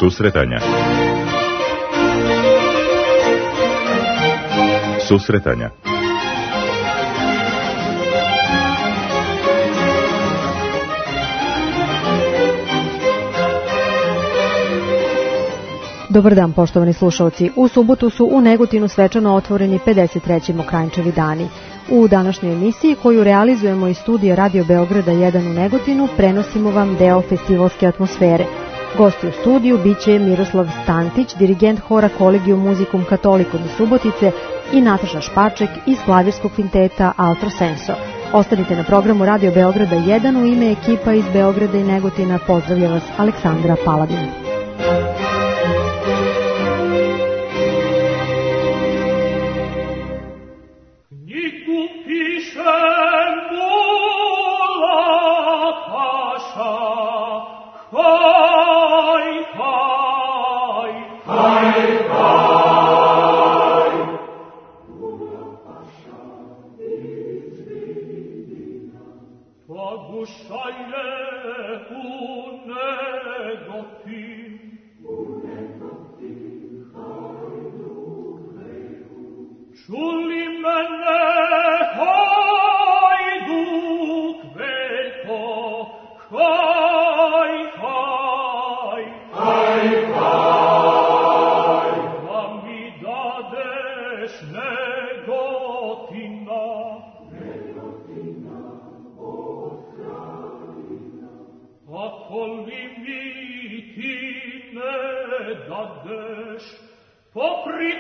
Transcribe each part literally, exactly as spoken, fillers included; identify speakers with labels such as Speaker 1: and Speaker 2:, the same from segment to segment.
Speaker 1: Susretanja. Susretanja.
Speaker 2: Dobar dan, poštovani slušalci. U subotu su u Negotinu svečano otvoreni pedeset treći Mokranjčevi dani. U današnjoj emisiji, koju realizujemo iz studija Radio Beograda jedan u Negotinu, prenosimo vam deo festivalske atmosfere. Gosti u studiju biće Miroslav Stantić, dirigent hora Collegium Musicum Catholicum iz Subotice, i Nataša Špaček iz klavirskog kvinteta Altro Senso. Ostanite na programu Radio Beograda jedan. U ime ekipa iz Beograda i Negotina pozdravlja vas Aleksandra Paladin.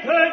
Speaker 3: Hej,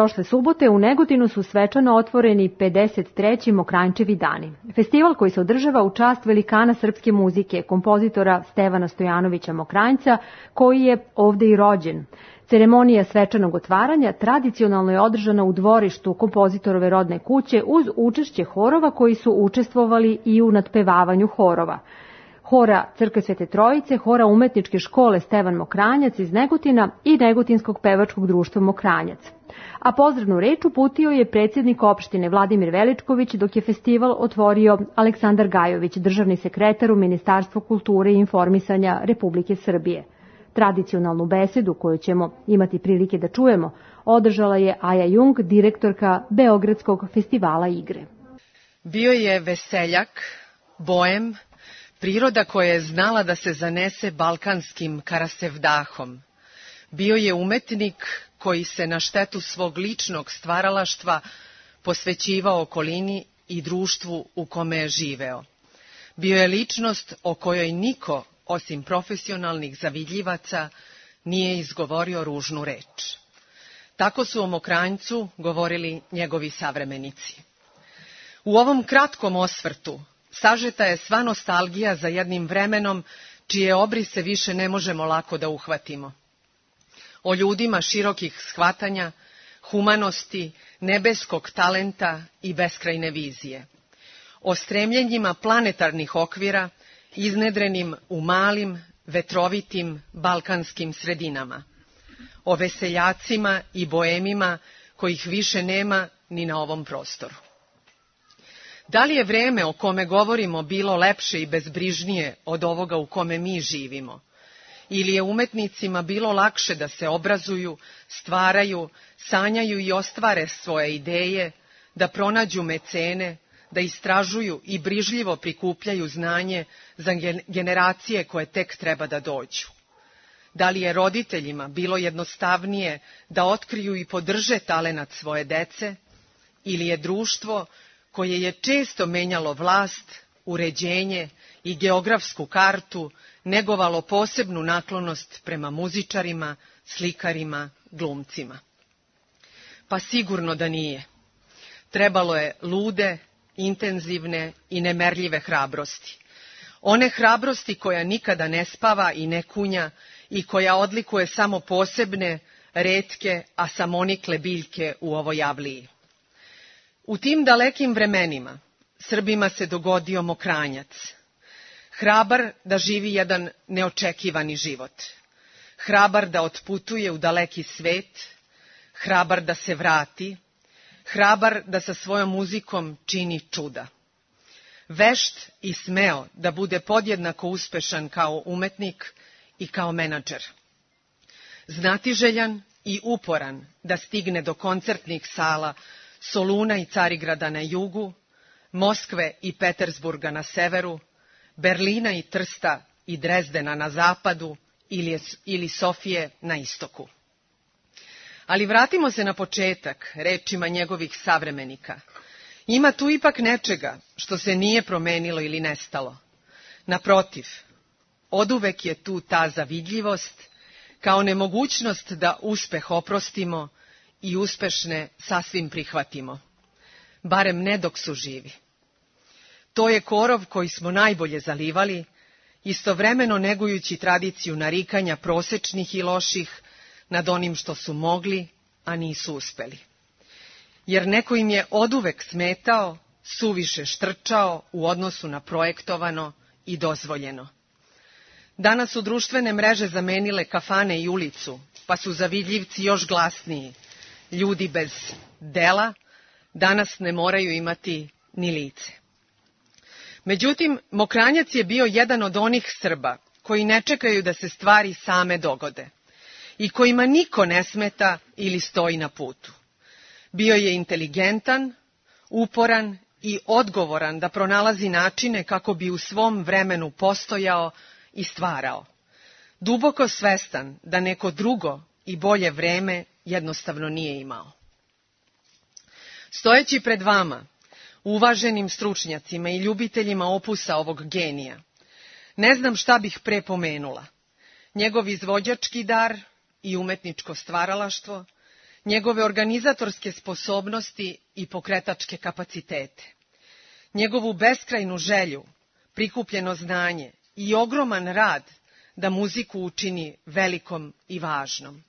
Speaker 2: Prošle subote u Negotinu su svečano otvoreni pedeset treći Mokranjčevi dani. Festival koji se održava u čast velikana srpske muzike, kompozitora Stevana Stojanovića Mokranjca, koji je ovde i rođen. Ceremonija svečanog otvaranja tradicionalno je održana u dvorištu kompozitorove rodne kuće uz učešće horova koji su učestvovali i u nadpevavanju horova. Hora Crkve Svete Trojice, hora umetničke škole Stevan Mokranjac iz Negotina i Negotinskog pevačkog društva Mokranjac. A pozdravnu reč uputio je predsjednik opštine Vladimir Veličković, dok je festival otvorio Aleksandar Gajović, državni sekretar u Ministarstvu kulture i informisanja Republike Srbije. Tradicionalnu besedu, koju ćemo imati prilike da čujemo, održala je Aja Jung, direktorka Beogradskog festivala igre.
Speaker 1: Bio je veseljak, boem, priroda koja je znala da se zanese balkanskim karasevdahom. Bio je umetnik koji se na štetu svog ličnog stvaralaštva posvećivao okolini i društvu u kome je živeo. Bio je ličnost o kojoj niko, osim profesionalnih zavidljivaca, nije izgovorio ružnu reč. Tako su o Mokranjcu govorili njegovi savremenici. U ovom kratkom osvrtu sažeta je sva nostalgija za jednim vremenom čije obrise više ne možemo lako da uhvatimo. O ljudima širokih shvatanja, humanosti, nebeskog talenta i beskrajne vizije. O stremljenjima planetarnih okvira, iznedrenim u malim, vetrovitim balkanskim sredinama. O veseljacima i boemima kojih više nema ni na ovom prostoru. Da li je vreme o kome govorimo bilo lepše i bezbrižnije od ovoga u kome mi živimo? Ili je umetnicima bilo lakše da se obrazuju, stvaraju, sanjaju i ostvare svoje ideje, da pronađu mecene, da istražuju i brižljivo prikupljaju znanje za generacije koje tek treba da dođu? Da li je roditeljima bilo jednostavnije da otkriju i podrže talenat svoje dece? Ili je društvo koje je često menjalo vlast, uređenje i geografsku kartu, negovalo posebnu naklonost prema muzičarima, slikarima, glumcima? Pa sigurno da nije. Trebalo je lude, intenzivne i nemerljive hrabrosti. One hrabrosti koja nikada ne spava i ne kunja i koja odlikuje samo posebne, retke, a samonikle biljke u ovoj javliji. U tim dalekim vremenima Srbima se dogodio Mokranjac. Hrabar da živi jedan neočekivani život. Hrabar da otputuje u daleki svet. Hrabar da se vrati. Hrabar da sa svojom muzikom čini čuda. Vešt i smeo da bude podjednako uspešan kao umetnik i kao menadžer. Znatiželjan i uporan da stigne do koncertnih sala Soluna i Carigrada na jugu, Moskve i Petersburga na severu, Berlina i Trsta i Drezdena na zapadu ili, ili Sofije na istoku. Ali vratimo se na početak rečima njegovih savremenika. Ima tu ipak nečega što se nije promenilo ili nestalo. Naprotiv, oduvek je tu ta zavidljivost, kao nemogućnost da uspeh oprostimo i uspešne sasvim prihvatimo. Barem ne dok su živi. To je korov koji smo najbolje zalivali, istovremeno negujući tradiciju narikanja prosečnih i loših nad onim što su mogli, a nisu uspeli. Jer neko im je oduvek smetao, suviše štrčao u odnosu na projektovano i dozvoljeno. Danas su društvene mreže zamenile kafane i ulicu, pa su zavidljivci još glasniji. Ljudi bez dela danas ne moraju imati ni lice. Međutim, Mokranjac je bio jedan od onih Srba koji ne čekaju da se stvari same dogode i kojima niko ne smeta ili stoji na putu. Bio je inteligentan, uporan i odgovoran da pronalazi načine kako bi u svom vremenu postojao i stvarao. Duboko svestan da neko drugo i bolje vreme jednostavno nije imao. Stojeći pred vama, uvaženim stručnjacima i ljubiteljima opusa ovog genija, ne znam šta bih pre pomenula. Njegov izvođački dar i umetničko stvaralaštvo, njegove organizatorske sposobnosti i pokretačke kapacitete, njegovu beskrajnu želju, prikupljeno znanje i ogroman rad da muziku učini velikom i važnom.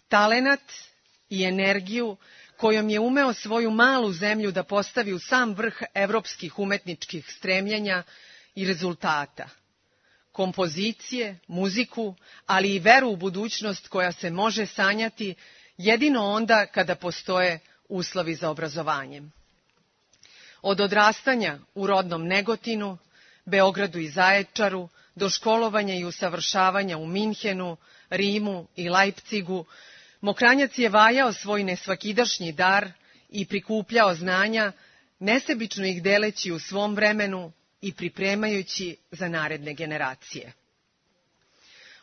Speaker 1: Talenat i energiju kojom je umeo svoju malu zemlju da postavi u sam vrh evropskih umetničkih stremljenja i rezultata. Kompozicije, muziku, ali i veru u budućnost koja se može sanjati jedino onda kada postoje uslovi za obrazovanjem. Od odrastanja u rodnom Negotinu, Beogradu i Zaječaru, do školovanja i usavršavanja u Minhenu, Rimu i Lajpcigu, Mokranjac je vajao svoj nesvakidašnji dar i prikupljao znanja, nesebično ih deleći u svom vremenu i pripremajući za naredne generacije.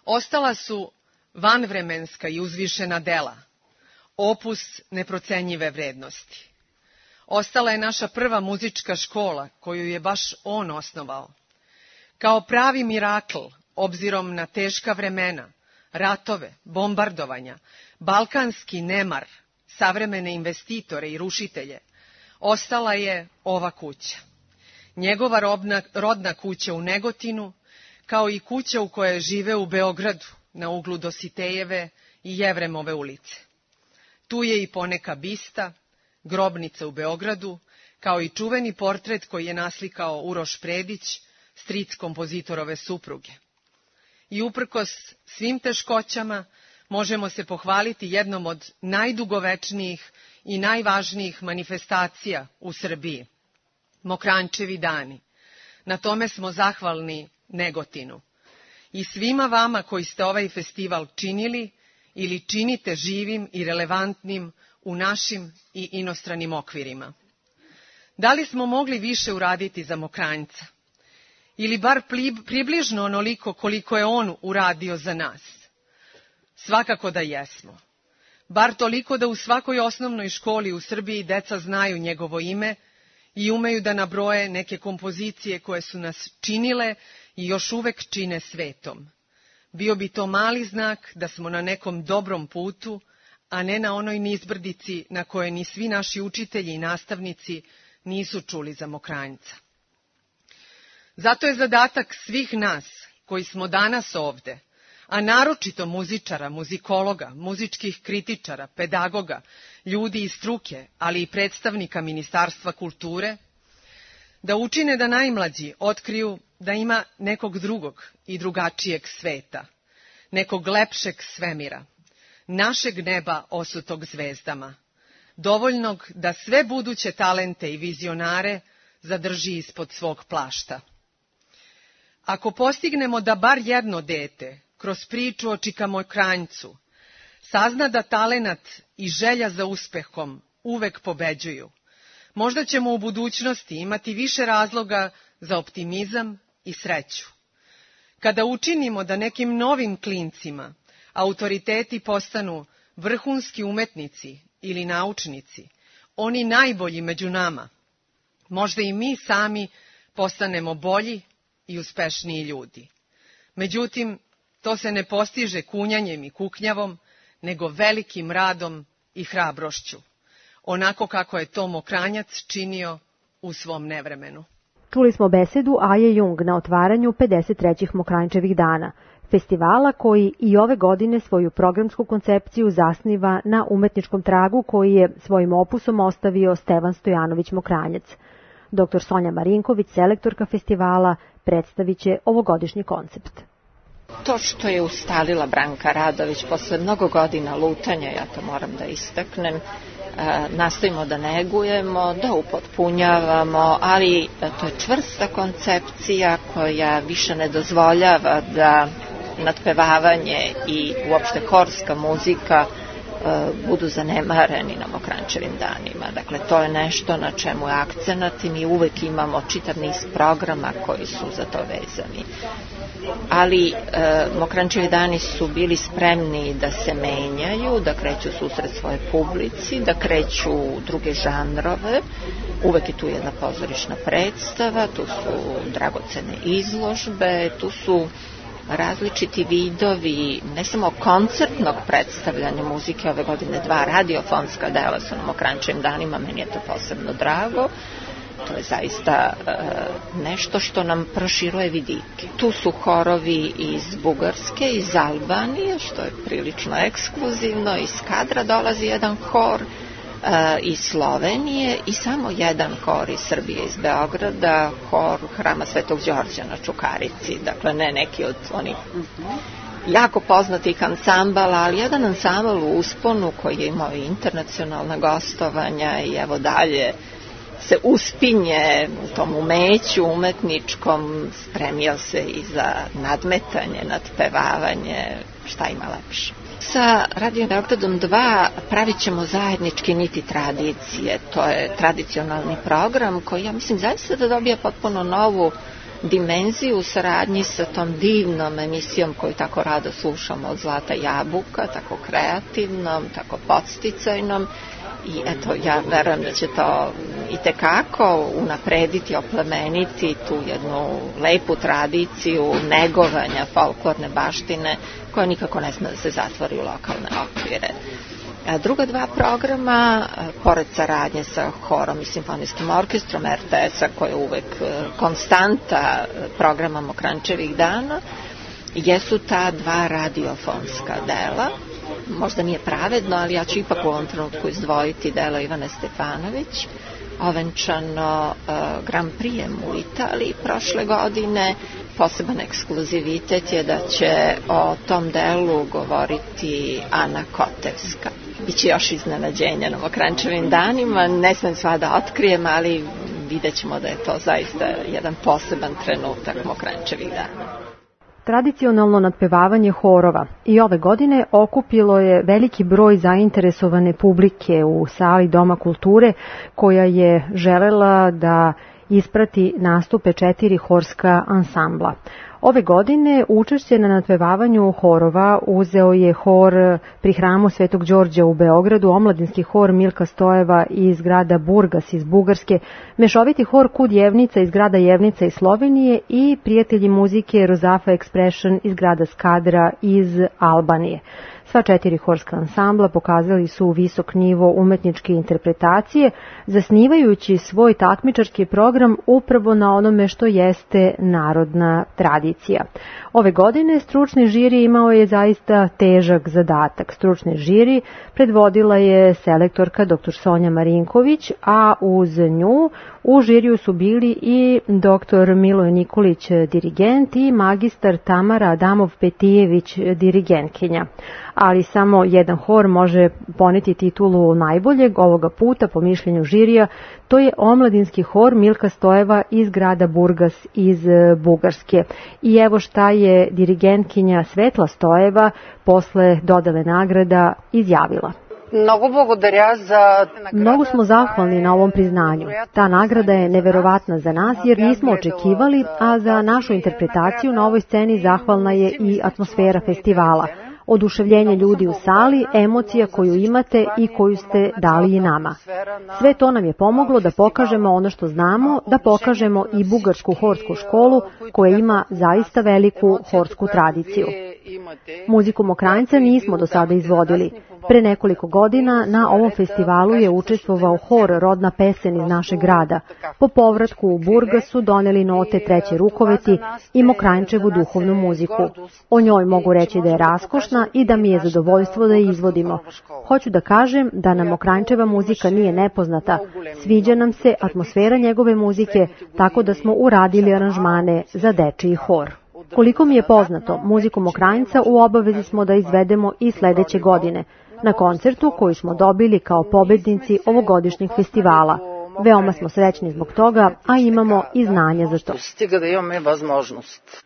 Speaker 1: Ostala su vanvremenska i uzvišena dela, opus neprocenjive vrednosti. Ostala je naša prva muzička škola, koju je baš on osnovao. Kao pravi mirakl, obzirom na teška vremena, ratove, bombardovanja, balkanski nemar, savremene investitore i rušitelje, ostala je ova kuća. Njegova robna, rodna kuća u Negotinu, kao i kuća u kojoj žive u Beogradu, na uglu Dositejeve i Jevremove ulice. Tu je i poneka bista, grobnica u Beogradu, kao i čuveni portret koji je naslikao Uroš Predić, stric kompozitorove supruge. I uprkos svim teškoćama možemo se pohvaliti jednom od najdugovečnijih i najvažnijih manifestacija u Srbiji, Mokranjčevi dani. Na tome smo zahvalni Negotinu. I svima vama koji ste ovaj festival činili ili činite živim i relevantnim u našim i inostranim okvirima. Da li smo mogli više uraditi za Mokranjca? Ili bar približno onoliko koliko je on uradio za nas? Svakako da jesmo. Bar toliko da u svakoj osnovnoj školi u Srbiji deca znaju njegovo ime i umeju da nabroje neke kompozicije koje su nas činile i još uvek čine svetom. Bio bi to mali znak da smo na nekom dobrom putu, a ne na onoj nizbrdici na kojoj ni svi naši učitelji i nastavnici nisu čuli za Mokranjca. Zato je zadatak svih nas koji smo danas ovde, a naročito muzičara, muzikologa, muzičkih kritičara, pedagoga, ljudi iz struke, ali i predstavnika Ministarstva kulture, da učine da najmlađi otkriju da ima nekog drugog i drugačijeg sveta, nekog lepšeg svemira, našeg neba osutog zvezdama, dovoljnog da sve buduće talente i vizionare zadrži ispod svog plašta. Ako postignemo da bar jedno dete, kroz priču o Čika Mokranjcu, sazna da talenat i želja za uspehom uvek pobeđuju, možda ćemo u budućnosti imati više razloga za optimizam i sreću. Kada učinimo da nekim novim klincima autoriteti postanu vrhunski umetnici ili naučnici, oni najbolji među nama, možda i mi sami postanemo bolji i uspešniji ljudi. Međutim, to se ne postiže kunjanjem i kuknjavom, nego velikim radom i hrabrošću, onako kako je to Mokranjac činio u svom nevremenu.
Speaker 2: Čuli smo besedu Aje Jung na otvaranju pedeset trećih Mokranjčevih dana, festivala koji i ove godine svoju programsku koncepciju zasniva na umetničkom tragu koji je svojim opusom ostavio Stevan Stojanović Mokranjac. Doktor Sonja Marinković, selektorka festivala, predstavit će ovogodišnji koncept.
Speaker 3: To što je ustalila Branka Radović posle mnogo godina lutanja, ja to moram da istaknem, nastojimo da negujemo, da upotpunjavamo, ali to je čvrsta koncepcija koja više ne dozvoljava da nadpevavanje i uopšte horska muzika budu zanemareni na Mokranjčevim danima. Dakle, to je nešto na čemu je akcenat i mi uvek imamo čitav niz programa koji su za to vezani. Ali e, Mokranjčevi dani su bili spremni da se menjaju, da kreću susret svoje publici, da kreću druge žanrove. Uvek je tu jedna pozorišna predstava, tu su dragocene izložbe, tu su različiti vidovi, ne samo koncertnog predstavljanja muzike, ove godine dva radiofonska dela su nam o Kranjčevim danima, meni je to posebno drago. To je zaista e, nešto što nam proširuje vidike. Tu su horovi iz Bugarske, iz Albanije, što je prilično ekskluzivno, iz Kadra dolazi jedan hor, e, iz Slovenije i samo jedan hor iz Srbije, iz Beograda, hor Hrama Svetog Đorđa na Čukarici, dakle ne neki od onih jako poznatih ansambala, ali jedan ansambal u usponu koji je imao i internacionalna gostovanja i evo dalje se uspinje u tom umeću umetničkom, spremio se i za nadmetanje, nadpevavanje, šta ima lepše. Sa Radio Beogradom dva pravit ćemo zajednički Niti tradicije, to je tradicionalni program koji ja mislim zaista da dobija potpuno novu dimenziju u saradnji sa tom divnom emisijom koju tako rado slušamo od Zlata Jabuka, tako kreativnom, tako podsticajnom. I eto, ja verujem da će to i tekako unaprediti, oplemeniti tu jednu lepu tradiciju negovanja folklorne baštine koja nikako ne sme da se zatvori u lokalne okvire. A druga dva programa, pored saradnje sa horom i simfonijskim orkestrom er te es-a, koja je uvek konstanta programa Kranjčevih dana, jesu ta dva radiofonska dela. Možda nije pravedno, ali ja ću ipak u ovom trenutku izdvojiti delo Ivane Stefanović, ovenčano uh, Grand Prijem u Italiji prošle godine. Poseban ekskluzivitet je da će o tom delu govoriti Ana Kotevska. Biće još iznenađenja na Kranjčevim danima, ne smem sva da otkrijem, ali vidjet ćemo da je to zaista jedan poseban trenutak Kranjčevih dana.
Speaker 2: Tradicionalno nadpevavanje horova i ove godine okupilo je veliki broj zainteresovane publike u sali Doma kulture koja je želela da isprati nastupe četiri horska ansambla. Ove godine učešće na nadpevavanju horova uzeo je hor pri Hramu Svetog Đorđa u Beogradu, omladinski hor Milka Stojeva iz grada Burgas iz Bugarske, mešoviti hor Kud Jevnica iz grada Jevnica iz Slovenije i prijatelji muzike Rozafa Expression iz grada Skadra iz Albanije. Sva četiri horska ansambla pokazali su visok nivo umetničke interpretacije, zasnivajući svoj takmičarski program upravo na onome što jeste narodna tradicija. Ove godine stručni žiri imao je zaista težak zadatak. Stručni žiri predvodila je selektorka dr Sonja Marinković, a uz nju u žiriju su bili i dr Miloje Nikolić, dirigent, i magistar Tamara Adamov-Petijević, dirigentkinja. Ali samo jedan hor može poneti titulu najboljeg ovoga puta, po mišljenju žirija, to je omladinski hor Milka Stojeva iz grada Burgas iz Bugarske. I evo šta je dirigentkinja Svetla Stojeva posle dodele nagrada izjavila. Mnogo smo zahvalni na ovom priznanju. Ta nagrada je neverovatna za nas jer nismo očekivali, a za našu interpretaciju na ovoj sceni zahvalna je i atmosfera festivala. Oduševljenje ljudi u sali, emocija koju imate i koju ste dali i nama. Sve to nam je pomoglo da pokažemo ono što znamo, da pokažemo i bugarsku horsku školu koja ima zaista veliku horsku tradiciju. Muziku Mokranjca nismo do sada izvodili. Pre nekoliko godina na ovom festivalu je učestvovao hor Rodna pesen iz našeg grada. Po povratku u Burgasu doneli note Treće Rukoveti i Mokranjčevu duhovnu muziku. O njoj mogu reći da je raskošna i da mi je zadovoljstvo da je izvodimo. Hoću da kažem da nam Mokranjčeva muzika nije nepoznata. Sviđa nam se atmosfera njegove muzike, tako da smo uradili aranžmane za dečiji hor. Koliko mi je poznato, muziku Mokranjca u obavezi smo da izvedemo i sledeće godine, na koncertu koji smo dobili kao pobednici ovogodišnjeg festivala. Veoma smo srećni zbog toga, a imamo i znanja za to.
Speaker 4: Stiga da imamo возможност.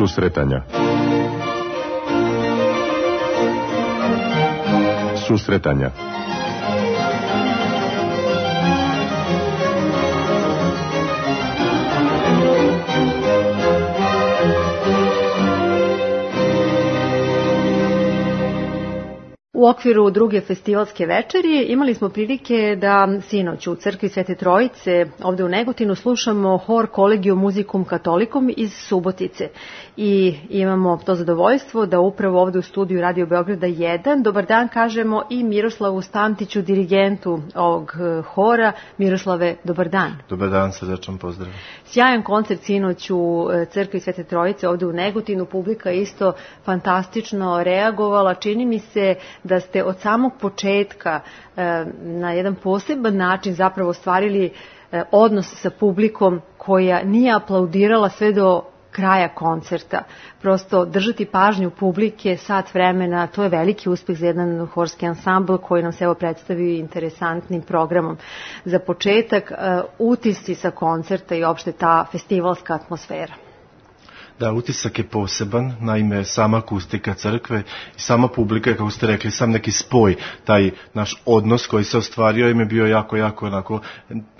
Speaker 5: Susretanja. Susretanja.
Speaker 2: U okviru druge festivalske večeri imali smo prilike da sinoć u crkvi Svete Trojice ovde u Negotinu slušamo hor Collegium Musicum Catholicum iz Subotice i imamo to zadovoljstvo da upravo ovde u studiju Radio Beograda jedan dobar dan kažemo i Miroslavu Stantiću, dirigentu ovog hora. Miroslave, dobar dan.
Speaker 6: Dobar dan, srdačan pozdrav.
Speaker 2: Sjajan koncert sinoć u crkvi Svete Trojice ovde u Negotinu, publika je isto fantastično reagovala. Čini mi se da ste od samog početka na jedan poseban način zapravo ostvarili odnos sa publikom koja nije aplaudirala sve do kraja koncerta. Prosto držati pažnju publike sat vremena, to je veliki uspeh za jedan horski ansambl koji nam se evo predstavio interesantnim programom. Za početak, utisci sa koncerta i opšte ta festivalska atmosfera.
Speaker 6: Da, utisak je poseban, naime sama akustika crkve i sama publika, kako ste rekli, sam neki spoj, taj naš odnos koji se ostvario im je bio jako, jako onako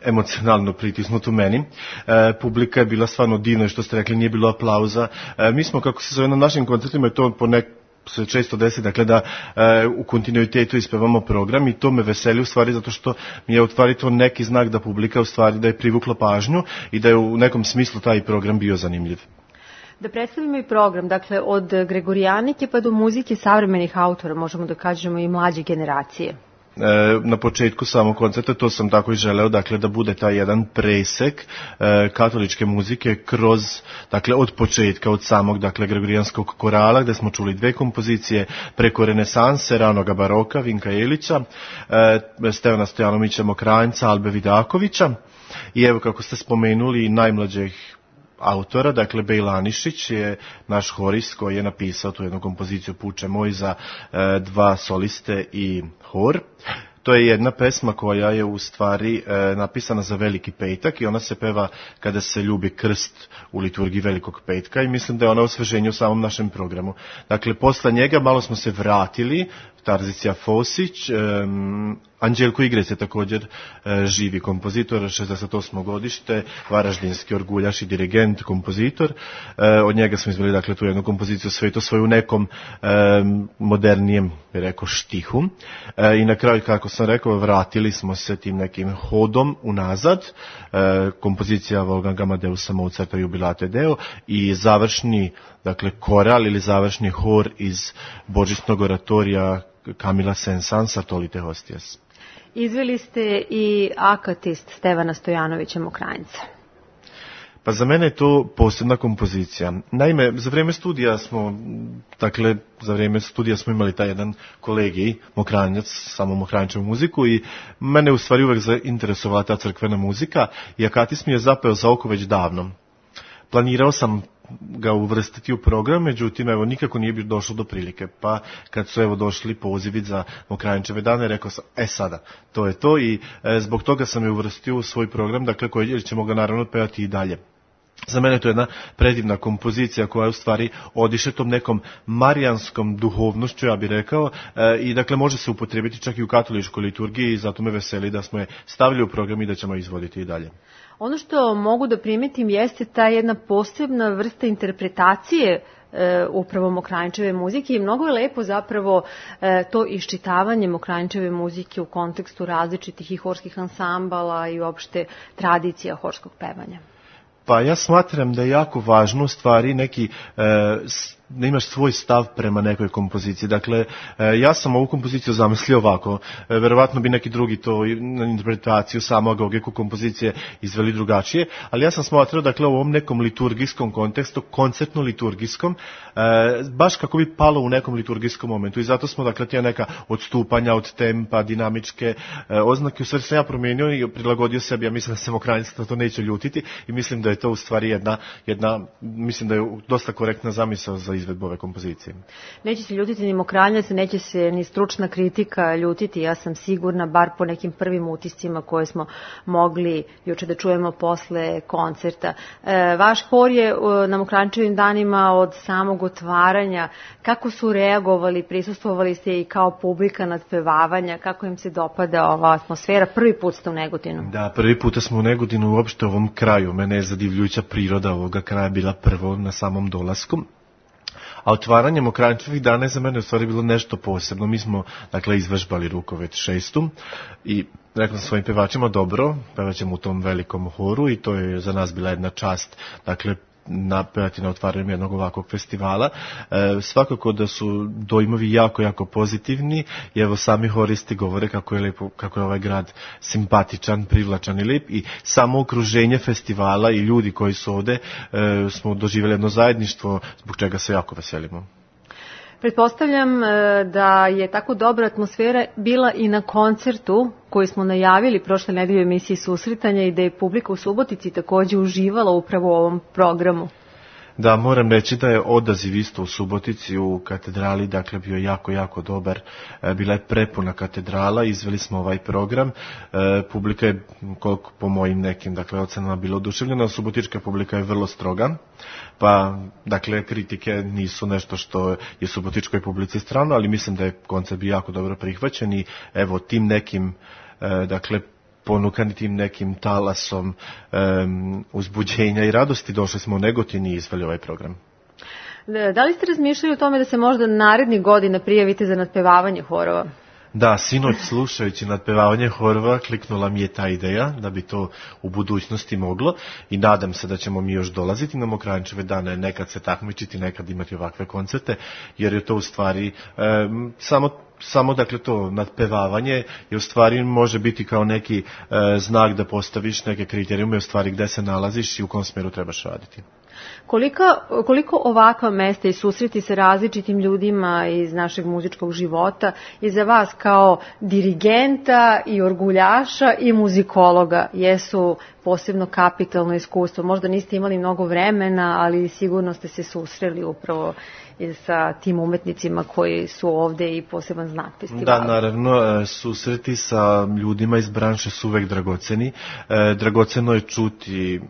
Speaker 6: emocionalno pritisnut u meni. E, publika je bila stvarno divna, što ste rekli, nije bilo aplauza. E, mi smo, kako se zove na našim koncertima, je to po nek se često desi, dakle da e, u kontinuitetu ispevamo program i to me veseli u stvari zato što mi je u stvari to neki znak da publika u stvari da je privukla pažnju i da je u nekom smislu taj program bio zanimljiv.
Speaker 2: Da predstavimo i program, dakle od Gregorijanike pa do muzike savremenih autora, možemo da kažemo i mlađe generacije.
Speaker 6: E, na početku samog koncerta to sam tako i želeo, dakle da bude taj jedan presek e, katoličke muzike kroz, dakle od početka, od samog, dakle Gregorijanskog korala gde smo čuli dve kompozicije preko renesanse, ranoga baroka, Vinka Jelića, e, Stevana Stojanovića Mokranjca, Albe Vidakovića i evo kako ste spomenuli najmlađih autora, dakle Bejla Anišić je naš horist koji je napisao tu jednu kompoziciju Puče moj za e, dva soliste i hor. To je jedna pesma koja je u stvari e, napisana za Veliki petak i ona se peva kada se ljubi krst u liturgiji Velikog petka i mislim da je ona osveženje u samom našem programu. Dakle, posle njega malo smo se vratili, Tarzicija Fosić, um, Anđelko Igrec je također uh, živi kompozitor, šezdeset osmo godište, varaždinski orguljaš i dirigent, kompozitor. Uh, od njega smo izveli dakle tu jednu kompoziciju Sveto svoju u nekom um, modernijem, bi rekao, štihu. Uh, I na kraju, kako sam rekao, vratili smo se tim nekim hodom unazad. Uh, kompozicija Wolfganga Amadeusa Mozarta Jubilate Deo i završni, dakle, koral ili završni hor iz božićnog oratorija Kamila Saint-Saëns Sartolite Hostias.
Speaker 2: Izveli ste i Akatist Stevana Stojanovića Mokranjca.
Speaker 6: Pa za mene je to posebna kompozicija. Naime, za vrijeme studija smo, dakle, za vrijeme studija smo imali taj jedan kolegij, Mokranjac, samo Mokranjčevu muziku i mene u stvari uvek zainteresovala ta crkvena muzika i Akatist mi je zapeo za oko već davno. Planirao sam ga uvrstiti u program, međutim, evo, nikako nije bi došlo do prilike. Pa, kad su, evo, došli pozivi za Mokranjčeve dane, rekao sam, e, sada, to je to i e, zbog toga sam je uvrstio u svoj program, dakle, koji ćemo ga naravno pevati i dalje. Za mene to je jedna predivna kompozicija koja u stvari odiše tom nekom marijanskom duhovnošću, ja bih rekao, e, i dakle može se upotrijebiti čak i u katoličkoj liturgiji i zato me veseli da smo je stavili u program i da ćemo izvoditi i dalje.
Speaker 2: Ono što mogu da primetim jeste ta jedna posebna vrsta interpretacije e, upravo Mokranjčeve muzike i mnogo je lepo zapravo e, to iščitavanje Mokranjčeve muzike u kontekstu različitih i horskih ansambala i uopšte tradicija horskog pevanja.
Speaker 6: Pa ja smatram da je jako važno u stvari neki, e, da imaš svoj stav prema nekoj kompoziciji. Dakle, e, ja sam ovu kompoziciju zamislio ovako, e, verovatno bi neki drugi to na interpretaciju samog ogeku kompozicije izveli drugačije, ali ja sam smatrao, dakle, u ovom nekom liturgijskom kontekstu, koncertno-liturgijskom, e, baš kako bi palo u nekom liturgijskom momentu i zato smo, dakle, tija neka odstupanja od tempa, dinamičke e, oznake, u stvari sam ja promijenio i prilagodio sebi, ja mislim da se Mokranjca to neće ljutiti i mislim da je to u stvari jedna, jedna, mislim da je dosta korektna zamisao za izvedbu ove kompozicije.
Speaker 2: Neće se ljutiti ni Mokranjac, neće se ni stručna kritika ljutiti, ja sam sigurna, bar po nekim prvim utiscima koje smo mogli juče da čujemo posle koncerta. E, vaš hor je na Mokranjčevim danima od samog otvaranja. Kako su reagovali, prisustvovali ste i kao publika nadpevavanja, kako im se dopada ova atmosfera? Prvi put ste u Negotinu.
Speaker 6: Da, prvi puta smo u Negotinu, uopšte u ovom kraju. Mene je zadivljujuća priroda ovoga kraja bila prvo na samom dolasku. A otvaranje Mokranjčevih dana je za mene u stvari bilo nešto posebno. Mi smo, dakle, izvežbali Rukovet šestu i rekao sam svojim pevačima, dobro, pevaćemo u tom velikom horu i to je za nas bila jedna čast, dakle, napevati na otvaranju jednog ovakvog festivala. E, svakako da su dojmovi jako, jako pozitivni i evo sami horisti govore kako je, lepo, kako je ovaj grad simpatičan, privlačan i lep i samo okruženje festivala i ljudi koji su ovde e, smo doživjeli jedno zajedništvo zbog čega se jako veselimo.
Speaker 2: Pretpostavljam da je tako dobra atmosfera bila i na koncertu koji smo najavili prošle nedelje u emisiji Susretanja i da je publika u Subotici takođe uživala upravo u ovom programu.
Speaker 6: Da, moram reći da je odaziv isto u Subotici u katedrali, dakle, bio jako, jako dobar. Bila je prepuna katedrala, izveli smo ovaj program. E, publika je, koliko po mojim nekim, dakle, ocenama bila oduševljena, subotička publika je vrlo stroga, pa, dakle, kritike nisu nešto što je subotičkoj publici strano, ali mislim da je koncert bio jako dobro prihvaćen i, evo, tim nekim, e, dakle, ponukani tim nekim talasom um, uzbuđenja i radosti, došli smo u Negotin i izveli ovaj program.
Speaker 2: Da li ste razmišljali o tome da se možda narednih godina prijavite za nadpevavanje horova?
Speaker 6: Da, sinoć slušajući nadpevavanje horova kliknula mi je ta ideja da bi to u budućnosti moglo i nadam se da ćemo mi još dolaziti na Mokranjčeve dane, nekad se takmičiti, nekad imati ovakve koncerte, jer je to u stvari um, samo Samo, dakle, to nadpevavanje je u stvari može biti kao neki e, znak da postaviš neke kriterijume u stvari gde se nalaziš i u kom smjeru trebaš raditi.
Speaker 2: Koliko, koliko ovakva mesta i susreti sa različitim ljudima iz našeg muzičkog života i za vas kao dirigenta i orguljaša i muzikologa jesu posebno kapitalno iskustvo? Možda niste imali mnogo vremena, ali sigurno ste se susreli upravo sa tim umetnicima koji su ovde i poseban znak festivala.
Speaker 6: Da, naravno, susreti sa ljudima iz branše su uvek dragoceni. Dragoceno je čuti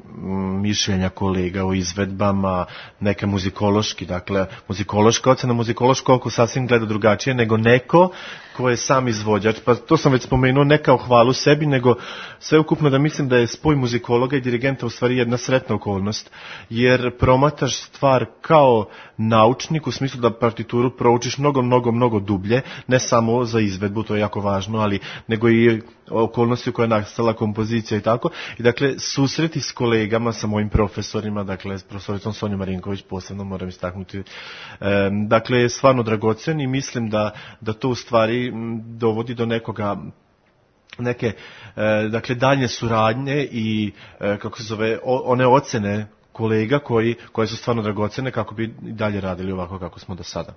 Speaker 6: mišljenja kolega o izvedbama, neke muzikološki, dakle, muzikološka ocena, muzikološko oko sasvim gleda drugačije nego neko ko je sam izvođač, pa to sam već spomenuo, ne kao hvalu sebi, nego sveukupno da mislim da je spoj muzikologa i dirigenta u stvari jedna sretna okolnost, jer promataš stvar kao naučnik, u smislu da partituru proučiš mnogo, mnogo, mnogo dublje, ne samo za izvedbu, to je jako važno, ali nego i okolnosti u kojoj je nastala kompozicija i tako. I dakle, susreti s kolegama, sa mojim profesorima, dakle, s profesoricom Sonjom Marinković, posebno moram istaknuti, e, dakle, je stvarno dragocen i mislim da, da to u stvari dovodi do nekoga neke, e, dakle, daljnje suradnje i, e, kako se zove, o, one ocene kolega koji, koje su stvarno dragocene kako bi dalje radili ovako kako smo do sada.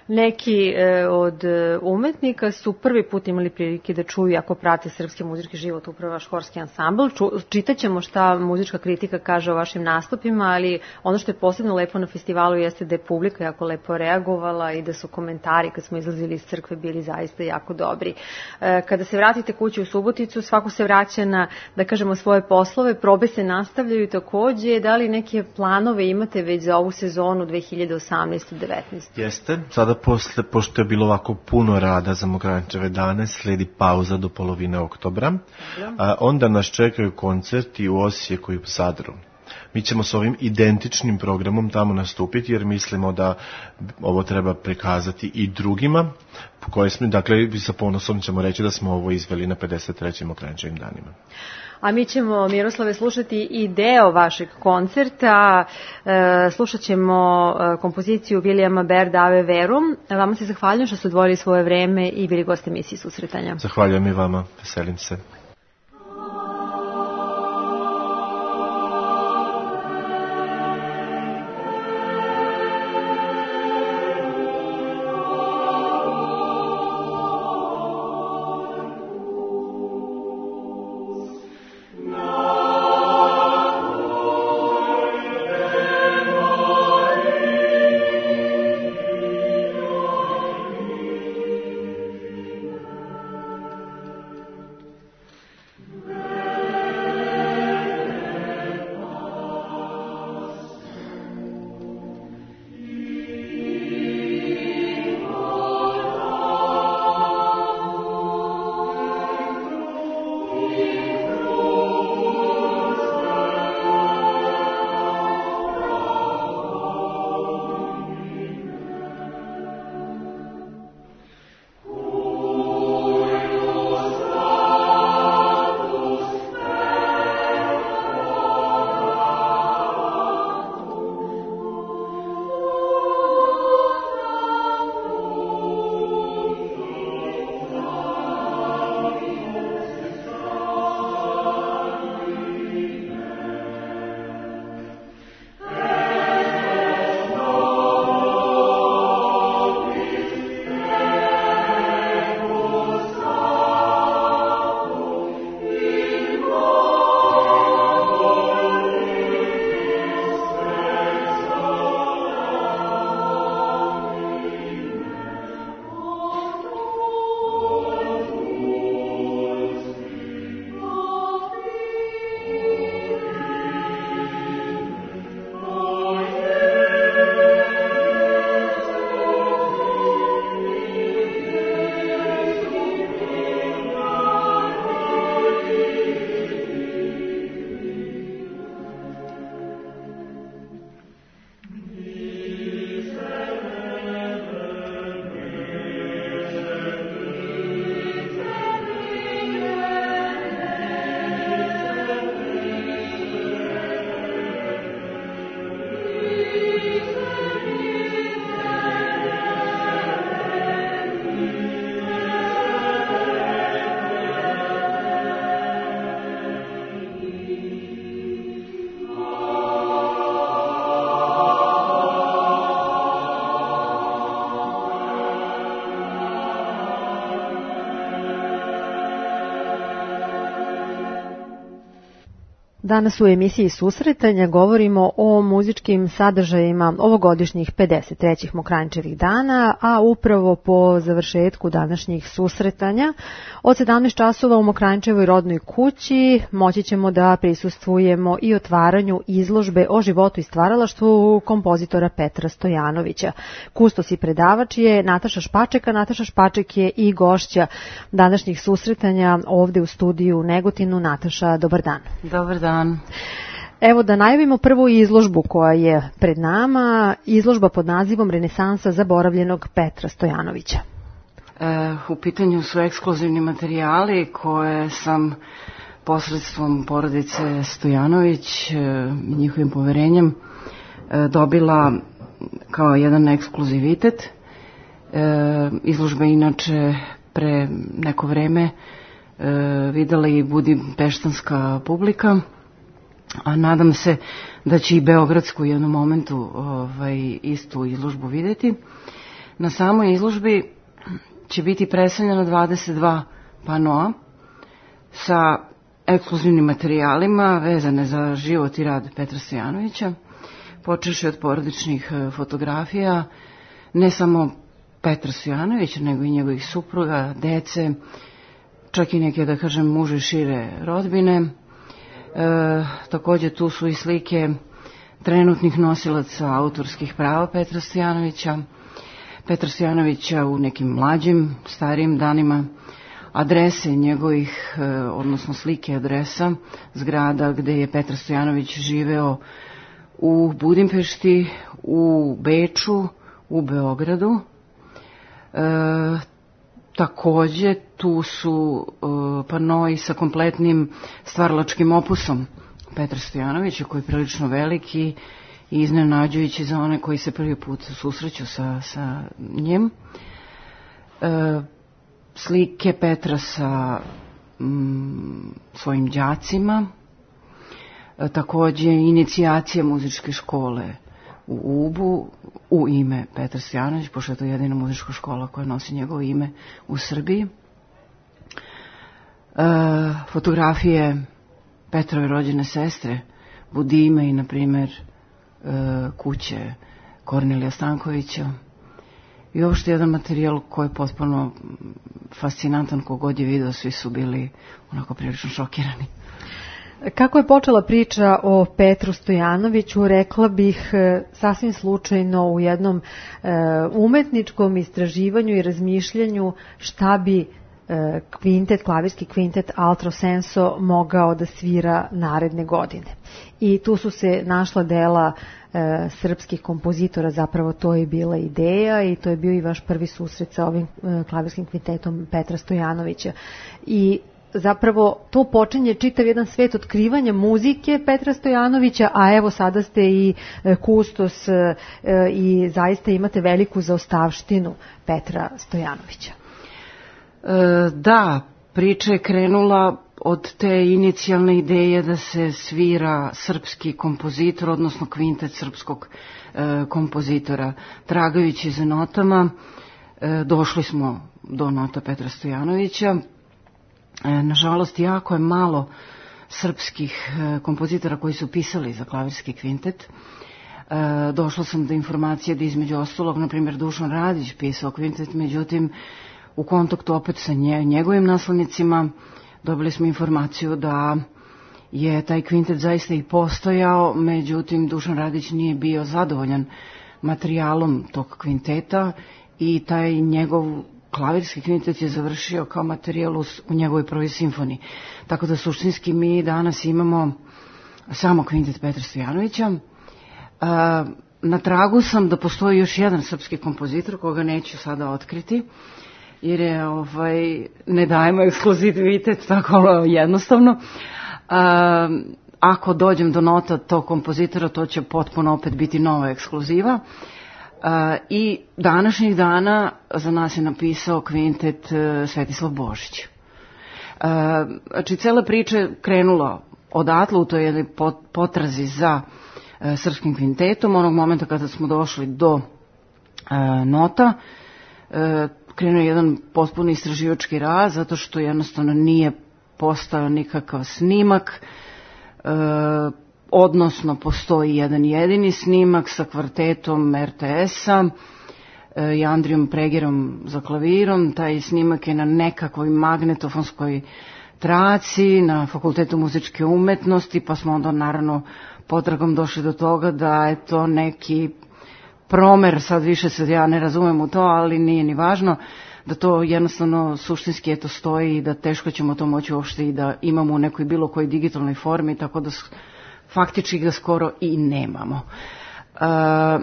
Speaker 2: Neki e, od umetnika su prvi put imali prilike da čuju ako prate srpski muzički život, upravo vaš horski ansambl. Čitaćemo šta muzička kritika kaže o vašim nastupima, ali ono što je posebno lepo na festivalu jeste da je publika jako lepo reagovala i da su komentari kad smo izlazili iz crkve bili zaista jako dobri. E, kada se vratite kući u Suboticu, svako se vraća na, da kažemo, svoje poslove, probe se nastavljaju takođe. Da li neke planove imate već za ovu sezonu dve hiljade osamnaeste devetnaeste?
Speaker 6: Jeste, sada posle, pošto je bilo ovako puno rada za Mokranjčeve dane, sledi pauza do polovine oktobra. A, onda nas čekaju koncerti u Osijeku i u Zadru. Mi ćemo s ovim identičnim programom tamo nastupiti, jer mislimo da ovo treba prikazati i drugima, koje smo, dakle, sa ponosom ćemo reći da smo ovo izveli na pedeset trećim Mokranjčevim danima.
Speaker 2: A mi ćemo, Miroslave, slušati i deo vašeg koncerta. E, slušat ćemo kompoziciju Vilijama Berda Ave Verum. Vama se zahvaljujem što ste odvojili svoje vreme i bili gosti emisije Susretanja.
Speaker 6: Zahvaljujem i vama, veselim se.
Speaker 2: Danas u emisiji Susretanja govorimo o muzičkim sadržajima ovogodišnjih pedeset trećih Mokranjčevih dana, a upravo po završetku današnjih susretanja od sedamnaest časova u Mokranjčevoj rodnoj kući moći ćemo da prisustvujemo i otvaranju izložbe o životu i stvaralaštvu kompozitora Petra Stojanovića. Kustos i predavač je Nataša Špaček, a Nataša Špaček je i gošća današnjih susretanja ovde u studiju u Negotinu. Nataša, dobar dan.
Speaker 5: Dobar dan.
Speaker 2: Evo da najavimo prvu izložbu koja je pred nama, izložba pod nazivom Renesansa zaboravljenog Petra Stojanovića.
Speaker 5: E, u pitanju su ekskluzivni materijali koje sam posredstvom porodice Stojanović, e, njihovim poverenjem, e, dobila kao jedan ekskluzivitet. E, izložba inače pre neko vreme e, videla i budimpeštanska publika, a nadam se da će i beogradsku u jednom momentu ovaj, istu izložbu vidjeti. Na samoj izložbi će biti predstavljeno dvadeset dva panoa sa ekskluzivnim materijalima vezane za život i rad Petra Stojanovića, počevši od porodičnih fotografija, ne samo Petra Stojanovića, nego i njegovih supruga, dece, čak i neke, da kažem, muže i šire rodbine. E, također tu su i slike trenutnih nosilaca autorskih prava Petra Stojanovića, Petra Stojanovića u nekim mlađim, starijim danima, adrese njegovih, e, odnosno slike adresa zgrada gde je Petar Stojanović živeo u Budimpešti, u Beču, u Beogradu. E, Takođe, tu su uh, panoi sa kompletnim stvaralačkim opusom Petra Stojanovića, koji je prilično veliki i iznenađujući za one koji se prvi put susreću sa, sa njim. Uh, slike Petra sa um, svojim đacima, uh, takođe inicijacija muzičke škole u Ubu u ime Petar Stojanović, pošto je to jedina muzička škola koja nosi njegovo ime u Srbiji. E, fotografije Petrove rođene sestre, Budime i, na primjer, e, kuće Kornelija Stankovića. I uopšte jedan materijal koji je potpuno fascinantan, kogod je video, svi su bili onako prilično šokirani.
Speaker 2: Kako je počela priča o Petru Stojanoviću, rekla bih sasvim slučajno u jednom e, umetničkom istraživanju i razmišljanju šta bi e, kvintet, klavirski kvintet Altro Senso mogao da svira naredne godine. I tu su se našla dela e, srpskih kompozitora, zapravo to je bila ideja i to je bio i vaš prvi susret sa ovim e, klavirskim kvintetom Petra Stojanovića. I zapravo to počinje čitav jedan svet otkrivanja muzike Petra Stojanovića, a evo sada ste i kustos i zaista imate veliku zaostavštinu Petra Stojanovića.
Speaker 5: E, da, priča je krenula od te inicijalne ideje da se svira srpski kompozitor, odnosno kvintet srpskog e, kompozitora. Tragajući za notama, e, došli smo do nota Petra Stojanovića. Nažalost, jako je malo srpskih kompozitora koji su pisali za klavirski kvintet. Došla sam do informacije da između ostalog, na primjer, Dušan Radić pisao kvintet, međutim, u kontaktu opet sa njegovim naslednicima dobili smo informaciju da je taj kvintet zaista i postojao, međutim, Dušan Radić nije bio zadovoljan materijalom tog kvinteta i taj njegov klavirski kvintet je završio kao materijal u, u njegovoj prvoj simfoniji. Tako da suštinski mi danas imamo samo kvintet Petra Stojanovića. Na tragu sam da postoji još jedan srpski kompozitor koga neću sada otkriti, jer je, ovaj, ne dajemo ekskluzivitet tako jednostavno. A, ako dođem do nota tog kompozitora, to će potpuno opet biti nova ekskluziva. Uh, I današnjih dana za nas je napisao kvintet uh, Svetislav Božić. Uh, znači, cela priča je krenula odatle u toj jednoj potrazi za uh, srpskim kvintetom. Onog momenta kada smo došli do uh, nota, uh, krenuo je jedan potpuno istraživački rad, zato što jednostavno nije postao nikakav snimak odnosno postoji jedan jedini snimak sa kvartetom er te es-a i Andrijom Pregerom za klavirom. Taj snimak je na nekakvoj magnetofonskoj traci na Fakultetu muzičke umetnosti, pa smo onda naravno potragom došli do toga da je to neki promer, sad više se ja ne razumem u to, ali nije ni važno, da to jednostavno suštinski eto stoji i da teško ćemo to moći uopšte i da imamo u nekoj bilo kojoj digitalnoj formi, tako da faktički ga skoro i nemamo. Uh,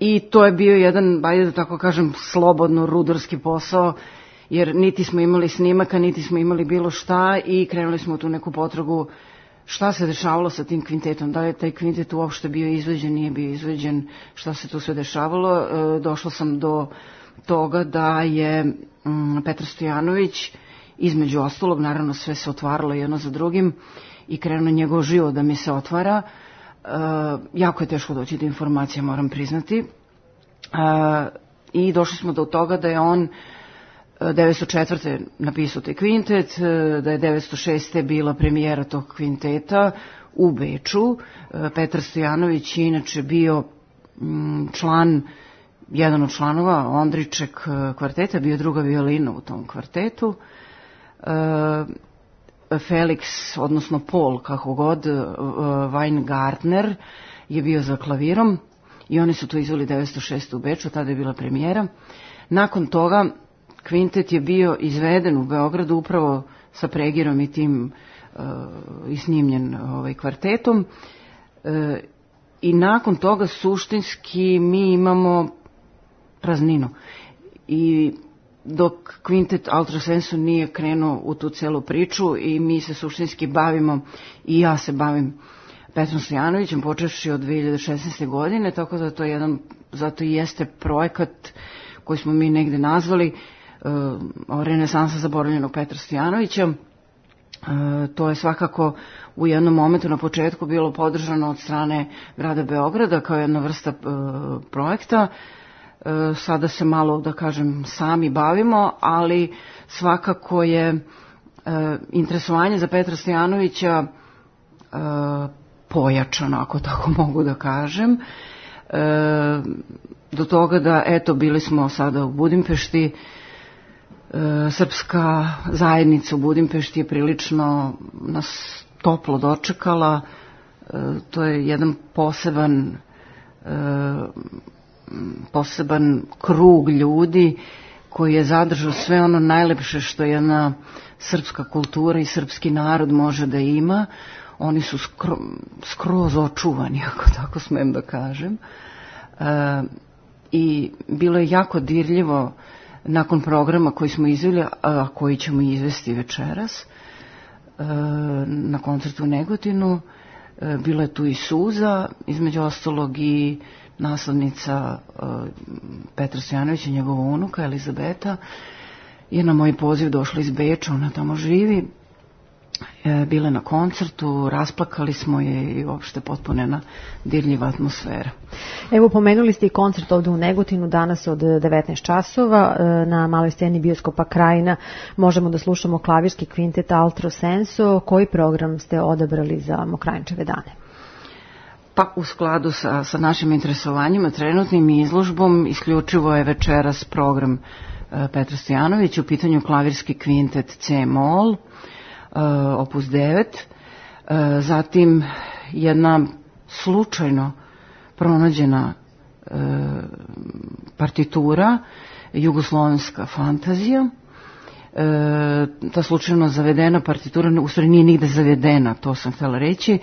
Speaker 5: I to je bio jedan, ajde da tako kažem, slobodno rudarski posao, jer niti smo imali snimaka, niti smo imali bilo šta i krenuli smo u tu neku potragu šta se dešavalo sa tim kvintetom, da je taj kvintet uopšte bio izveđen, nije bio izveđen, šta se tu sve dešavalo. E, došla sam do toga da je um, Petar Stojanović, između ostalog, naravno sve se otvaralo jedno za drugim i krenuo njegov život da mi se otvara. E, jako je teško doći do informacija, moram priznati. E, I došli smo do toga da je on devetsto četvrte napisao taj kvintet, da je devetsto šeste bila premijera tog kvinteta u Beču. Petar Stojanović je inače bio član, jedan od članova Ondriček kvarteta, bio druga violina u tom kvartetu. Felix, odnosno Paul, kako god, Weingartner je bio za klavirom i oni su to izveli devetsto šeste u Beču, tada je bila premijera. Nakon toga kvintet je bio izveden u Beogradu upravo sa Pregirom i tim uh, i snimljen ovaj, kvartetom. Uh, I nakon toga suštinski mi imamo prazninu. I dok kvintet Altrosensu nije krenuo u tu celu priču i mi se suštinski bavimo, i ja se bavim Petrom Stojanovićem, počevši od dve hiljade šesnaeste. godine, tako da to je jedan, zato i jeste projekat koji smo mi negde nazvali uh, renesansa zaboravljenog Petra Stojanovića. Uh, to je svakako u jednom momentu na početku bilo podržano od strane grada Beograda kao jedna vrsta uh, projekta. Uh, sada se malo, da kažem, sami bavimo, ali svakako je uh, interesovanje za Petra Stojanovića uh, pojačano, ako tako mogu da kažem. E, do toga da, eto, bili smo sada u Budimpešti, e, srpska zajednica u Budimpešti je prilično nas toplo dočekala, e, to je jedan poseban e, poseban krug ljudi koji je zadržao sve ono najlepše što jedna srpska kultura i srpski narod može da ima. Oni su skro, skroz očuvani, ako tako smem da kažem. E, I bilo je jako dirljivo nakon programa koji smo izveli, a koji ćemo izvesti večeras, e, na koncertu u Negotinu. E, bila je tu i suza, između ostalog i naslednica e, Petra Stojanovića, njegova unuka Elizabeta, je na moj poziv došla iz Beča, ona tamo živi. Bile na koncertu, rasplakali smo je i uopšte potpunena dirljiva atmosfera.
Speaker 2: Evo, pomenuli ste i koncert ovde u Negotinu danas od devetnaest časova na maloj sceni bioskopa Krajina. Možemo da slušamo klavirski kvintet Altro Senso. Koji program ste odabrali za Mokranjčeve dane?
Speaker 5: Pa u skladu sa, sa našim interesovanjima, trenutnim izložbom, isključivo je večeras program Petra Stojanovića, u pitanju klavirski kvintet C-mol, opus devet, zatim jedna slučajno pronađena partitura, jugoslovenska fantazija. Ta slučajno zavedena partitura, u stvari nije nigde zavedena, to sam htjela reći,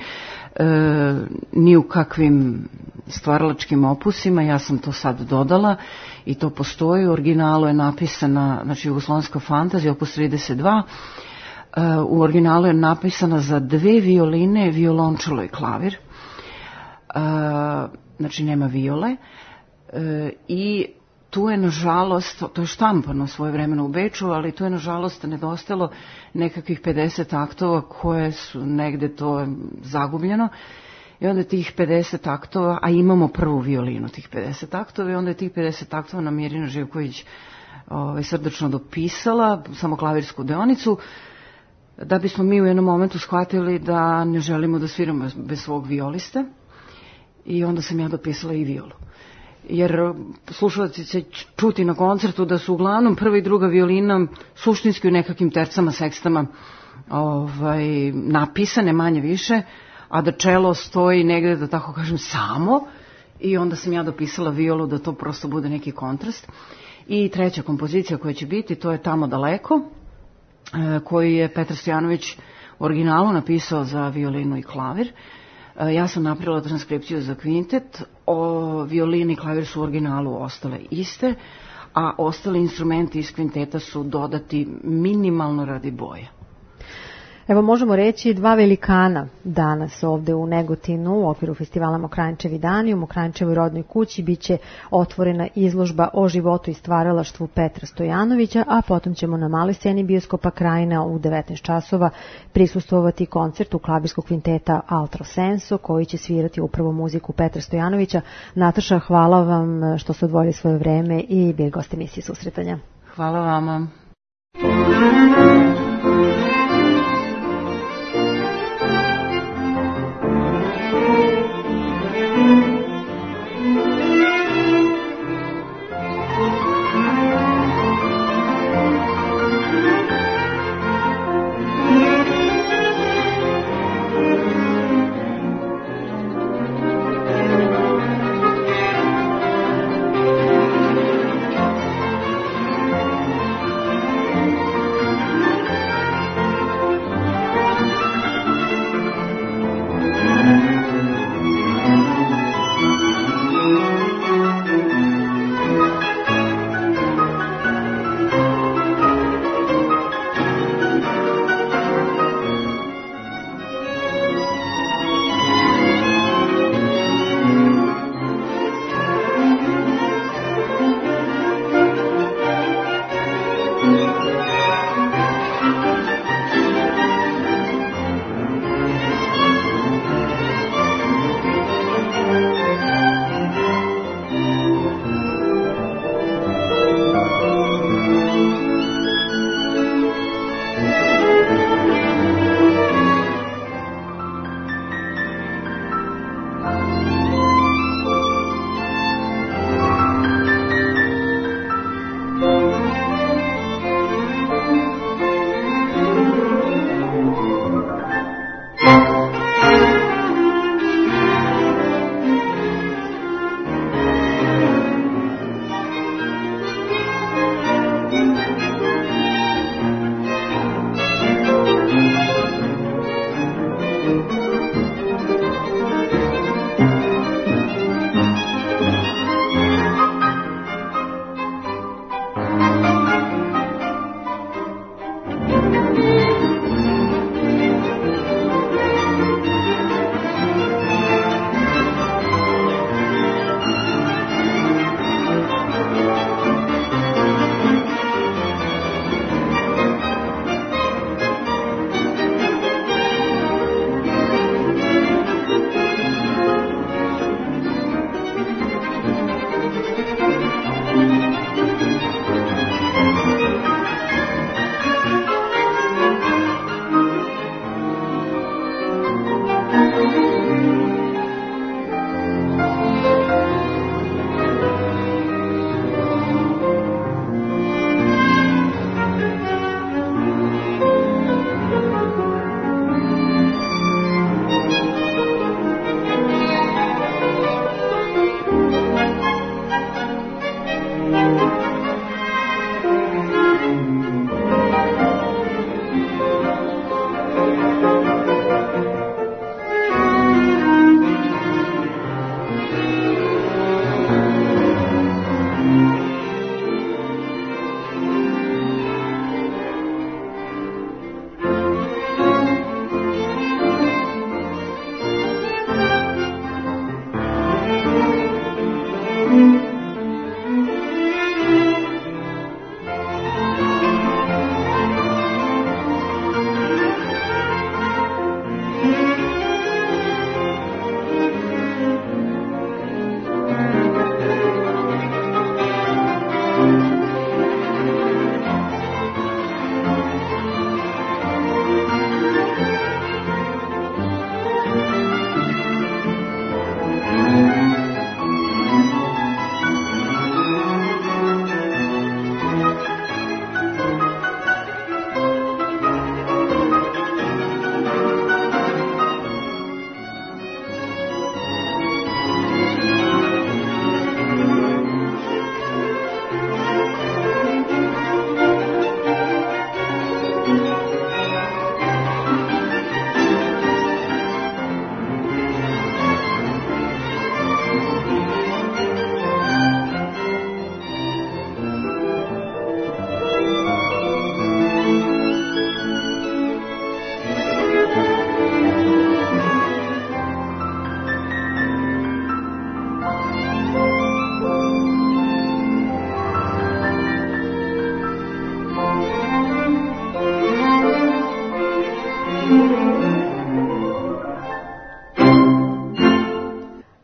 Speaker 5: ni u kakvim stvaralačkim opusima, ja sam to sad dodala i to postoji. U originalu je napisana, znači, jugoslovenska fantazija, opus trideset dva, u originalu je napisana za dve violine, violončelo i klavir. Znači, nema viole. I tu je, nažalost, to je štampano svoje vremeno u Beču, ali tu je, nažalost, nedostalo nekakvih pedeset aktova koje su negde to zagubljeno. I onda tih pedeset aktova, a imamo prvu violinu tih pedeset aktova, i onda je tih pedeset aktova nam Mirina Živković ovaj, srdačno dopisala, samo klavirsku deonicu. da bismo mi u jednom momentu shvatili da ne želimo da sviramo bez svog violiste i onda sam ja dopisala i violu. Jer slušalci će čuti na koncertu da su uglavnom prva i druga violina suštinski u nekakvim tercama, sekstama ovaj, napisane manje više, a da čelo stoji negde, da tako kažem, samo, i onda sam ja dopisala violu da to prosto bude neki kontrast. I treća kompozicija koja će biti, to je Tamo daleko, koji je Petar Stojanović originalu napisao za violinu i klavir. Ja sam napravila transkripciju za kvintet, o violini i klavir su u originalu ostale iste, a ostali instrumenti iz kvinteta su dodati minimalno radi boja.
Speaker 2: Evo, možemo reći dva velikana danas ovde u Negotinu u okviru festivala Mokranjčevi dani. U Mokranjčevoj rodnoj kući biće otvorena izložba o životu i stvaralaštvu Petra Stojanovića, a potom ćemo na maloj sceni bioskopa Krajina u devetnaest časova prisustvovati koncertu klavirskog kvinteta Altro Senso, koji će svirati upravo muziku Petra Stojanovića. Nataša, hvala vam što ste odvojili svoje vreme i bili gost emisije Susretanja.
Speaker 5: Hvala vama.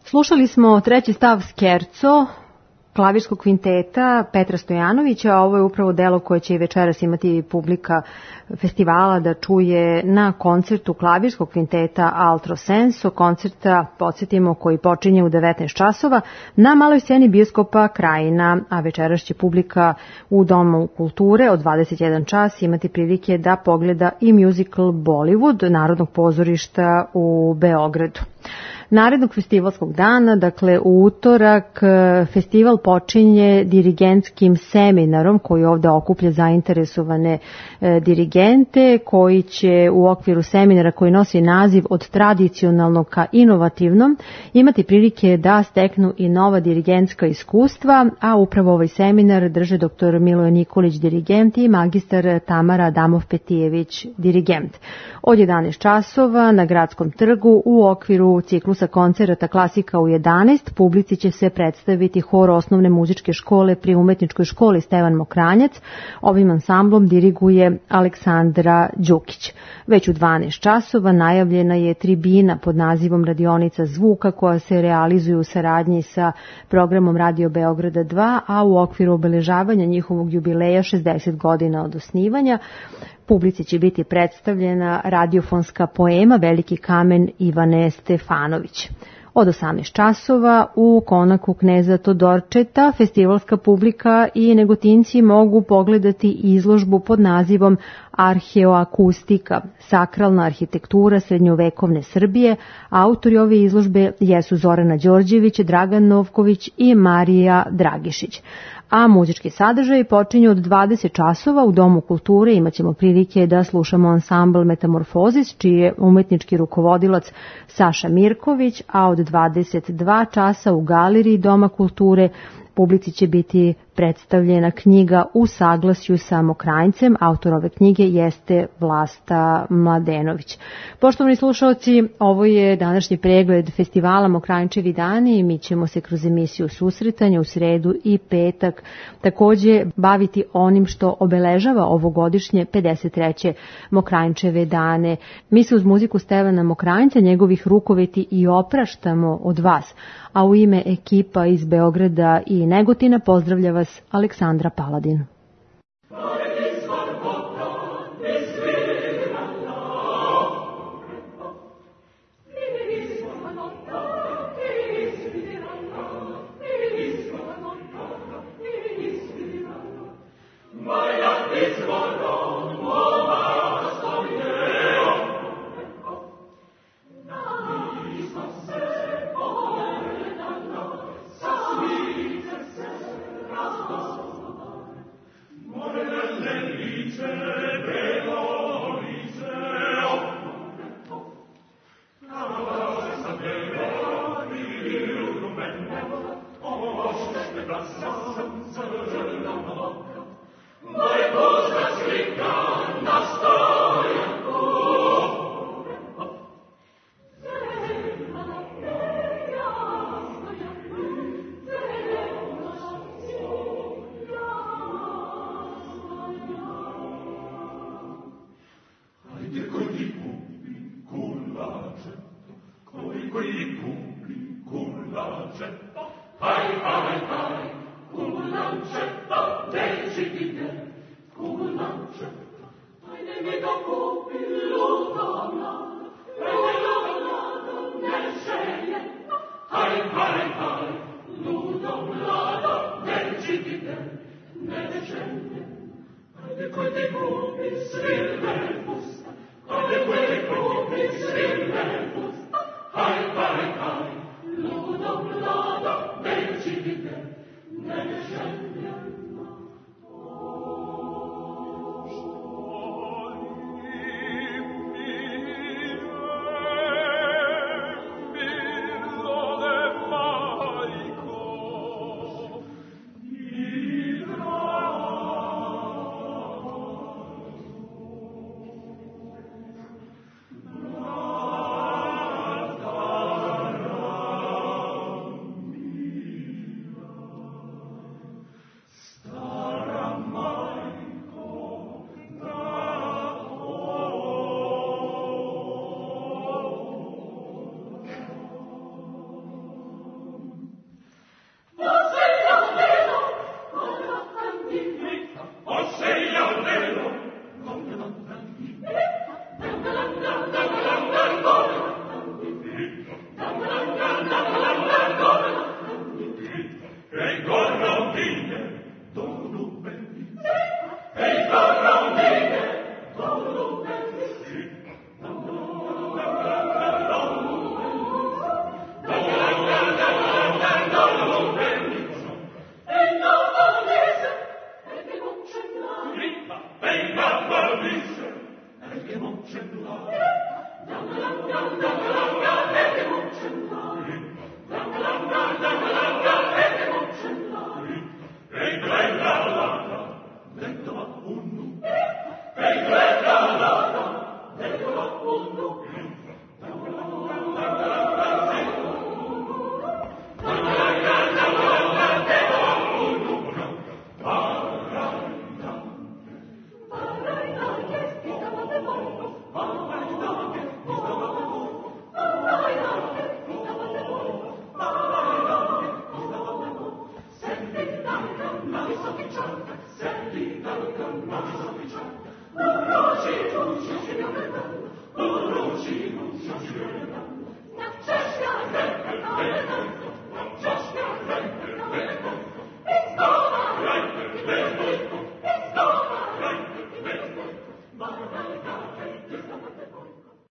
Speaker 2: Slušali smo treći stav Skerco, klavirskog kvinteta Petra Stojanovića. Ovo je upravo delo koje će i večeras imati publika festivala da čuje na koncertu klavirskog kvinteta Altro Senso, koncerta, podsjetimo, koji počinje u devetnaest časova na maloj sceni bioskopa Krajina, a večeras će publika u Domu kulture od dvadeset jedan čas imati prilike da pogleda i musical Bollywood Narodnog pozorišta u Beogradu. Narednog festivalskog dana, dakle u utorak, festival počinje dirigentskim seminarom koji ovde okuplja zainteresovane e, dirigente, koji će u okviru seminara koji nosi naziv Od tradicionalnog ka inovativnom imati prilike da steknu i nova dirigentska iskustva, a upravo ovaj seminar drže doktor Miloje Nikolić, dirigent, i magistar Tamara Adamov-Petijević, dirigent. Od jedanaest časova na Gradskom trgu u okviru ciklusa koncerata Klasika u jedanaest publici će se predstaviti hor osnovne muzičke škole pri Umetničkoj školi Stevan Mokranjac. Ovim ansamblom diriguje Aleksandra Đukić. Već u dvanaest časova najavljena je tribina pod nazivom Radionica zvuka koja se realizuje u saradnji sa programom Radio Beograda dva, a u okviru obeležavanja njihovog jubileja šezdeset godina od osnivanja. Publici će biti predstavljena radiofonska poema Veliki kamen Ivane Stefanović. Od osamnaest časova u konaku Kneza Todorčeta festivalska publika i Negotinci mogu pogledati izložbu pod nazivom Arheoakustika, sakralna arhitektura srednjovekovne Srbije. Autori ove izložbe jesu Zorana Đorđević, Dragan Novković i Marija Dragišić. A muzički sadržaj počinje od dvadeset časova u Domu kulture. Imaćemo prilike da slušamo ansambl Metamorfozis, čiji je umetnički rukovodilac Saša Mirković, a od dvadeset dva časa u galeriji Doma kulture publici će biti predstavljena knjiga U saglasju sa Mokranjcem. Autor ove knjige jeste Vlasta Mladenović. Poštovani slušalci, ovo je današnji pregled festivala Mokranjčevi dani i mi ćemo se kroz emisiju susretanja u sredu i petak takođe baviti onim što obeležava ovogodišnje pedeset treće Mokranjčeve dane. Mi se uz muziku Stevana Mokranjca, njegovih rukoveti, i opraštamo od vas, a u ime ekipa iz Beograda i Negotina pozdravlja vas Aleksandra Paladin.
Speaker 7: Quindi gruppi si